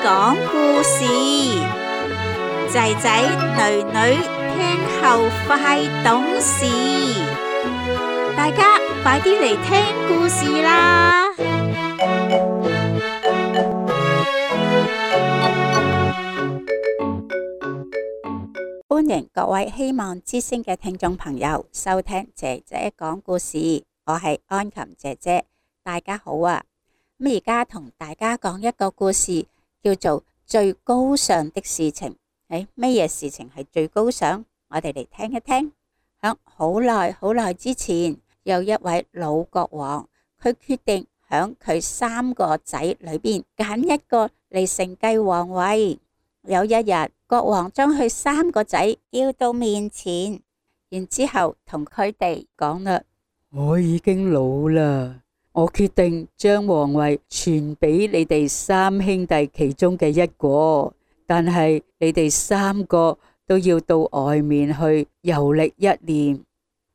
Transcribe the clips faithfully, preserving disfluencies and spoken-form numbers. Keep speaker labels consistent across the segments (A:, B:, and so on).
A: 講故事，仔仔女女聽後快懂事，大家快啲嚟聽故事啦！歡迎各位希望之聲嘅聽眾朋友收聽姐姐講故事，我係安琴姐姐，大家好啊！咁而家同大家講一個故事，叫做最高尚的事情。誒，咩嘢事情係最高尚？我哋嚟聽一聽。響好耐好耐之前，有一位老國王，佢決定響佢三個仔裏邊揀一個嚟承繼皇位。有一日，國王將佢三個仔叫到面前，然之後同佢哋講啦：
B: 我已經老啦。我決定將皇位傳俾你哋三兄弟其中嘅一個，但係你哋三個都要到外面去遊歷一年，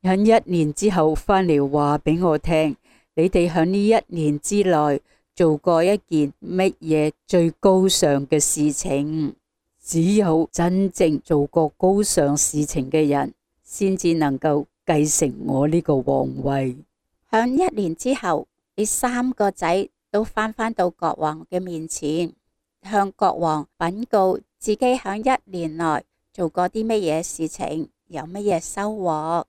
B: 喺一年之後返嚟話俾我聽，你哋喺呢一年之內做過一件乜嘢最高尚嘅事情。只有真正做過高尚事情嘅人，先至能夠繼承我呢個皇位。
A: 響一年之後，呢三個仔都返返到國王嘅面前，向國王稟告自己響一年內做過啲乜嘢事情，有乜嘢收穫。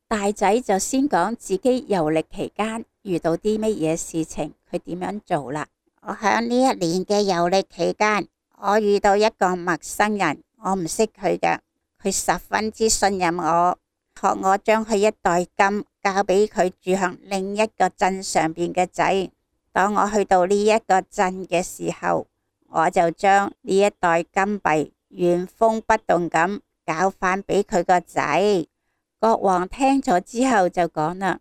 A: 大仔就先講自己遊歷期間遇到啲乜嘢事情，佢點樣做啦。我響呢一年嘅遊歷期間，我遇到一個陌生人，我唔識佢嘅，佢十分之信任我，學我將佢一袋金交俾佢住響另一個鎮上邊嘅仔。當我去到呢一個鎮嘅時候，我就將呢一袋金幣原封不動咁交翻俾佢個仔。國王聽咗之後就講啦：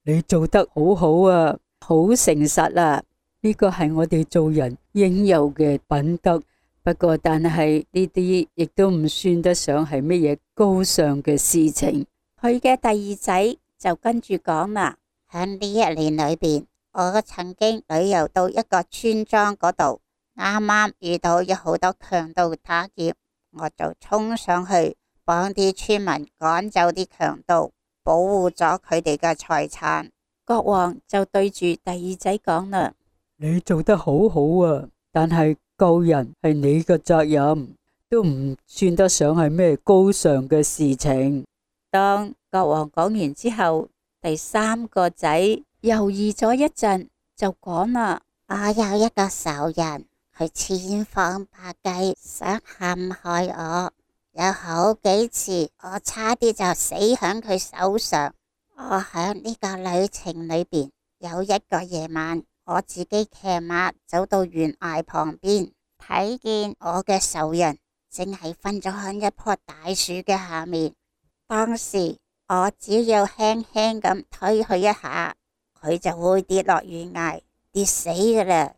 B: 你做得好好啊，好誠實啊，呢個係我哋做人應有嘅品德。不過但係呢啲亦都唔算得上係乜嘢高尚嘅事情。
A: 佢嘅第二仔就跟住講啦：喺呢一年裏邊，我曾經旅遊到一個村莊嗰度，啱啱遇到有好多強盜打劫，我就衝上去幫啲村民趕走啲強盜，保護咗佢哋嘅財產。國王就對住第二仔講啦：
B: 你做得好好啊，但係救人係你嘅責任，都唔算得上係咩高尚嘅事情。
A: 當國王講完之後，第三個仔猶豫咗一陣，就講啦：我有一個仇人，佢千方百計想陷害我，有好幾次我差啲就死喺佢手上。我喺呢個旅程裏邊，有一個夜晚，我自己騎馬走到懸崖旁邊，睇見我嘅仇人正係瞓咗喺一棵大樹嘅下面。當時我只要輕輕咁推佢一下，佢就會跌落懸崖跌死噶啦。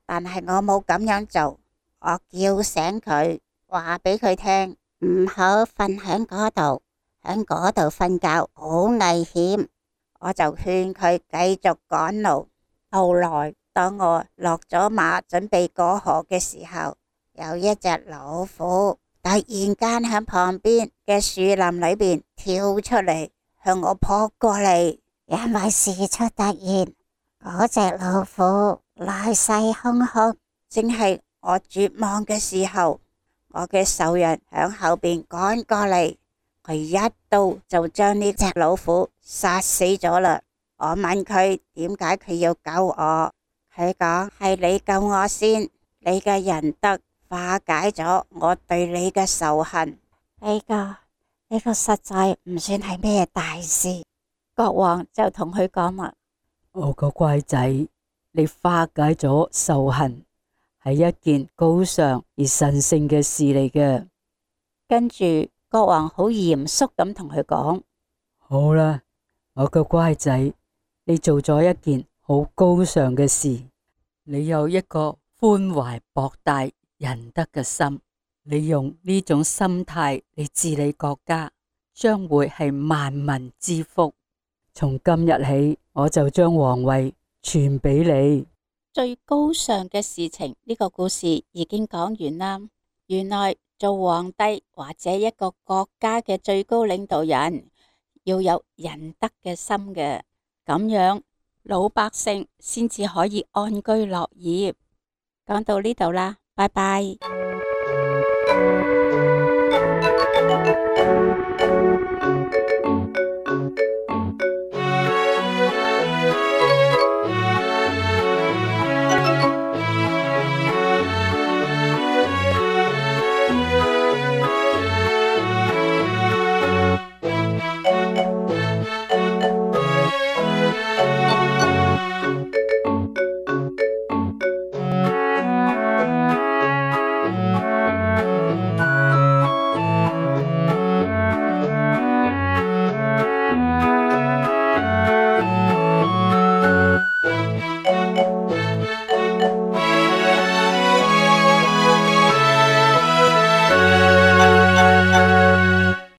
A: 但係我冇咁樣做，我叫醒佢，話俾佢聽唔好瞓喺嗰度，喺嗰度瞓覺好危險。我就勸佢繼續趕路。後來當我落咗馬準備過河嘅時候，有一隻老虎突然間喺旁邊嘅樹林裏邊跳出嚟，向我撲過嚟。因為事出突然，嗰隻老虎來勢洶洶，正係我絕望嘅時候，我嘅仇人響後邊趕過嚟，佢一刀就將呢隻老虎殺死咗啦。我問佢點解佢要救我，佢講係你救我先，你嘅仁德化解咗我對你嘅仇恨。呢個呢個實在唔算係咩大事。國王就同佢講啦：
B: 我個乖仔，你化解咗仇恨係一件高尚而神聖嘅事嚟嘅。
A: 跟住國王好嚴肅咁同佢講：
B: 好啦，我個乖仔，你做咗一件好高尚嘅事，你有一個寬懷博大仁德嘅心，你用呢種心態嚟治理國家，將會係萬民之福。從今日起，我就將皇位傳俾你。
A: 最高尚嘅事情，呢個故事已經講完啦。原來做皇帝或者一個國家嘅最高領導人要有仁德嘅心嘅，咁樣老百姓先至可以安居樂業。講到呢度啦，拜拜。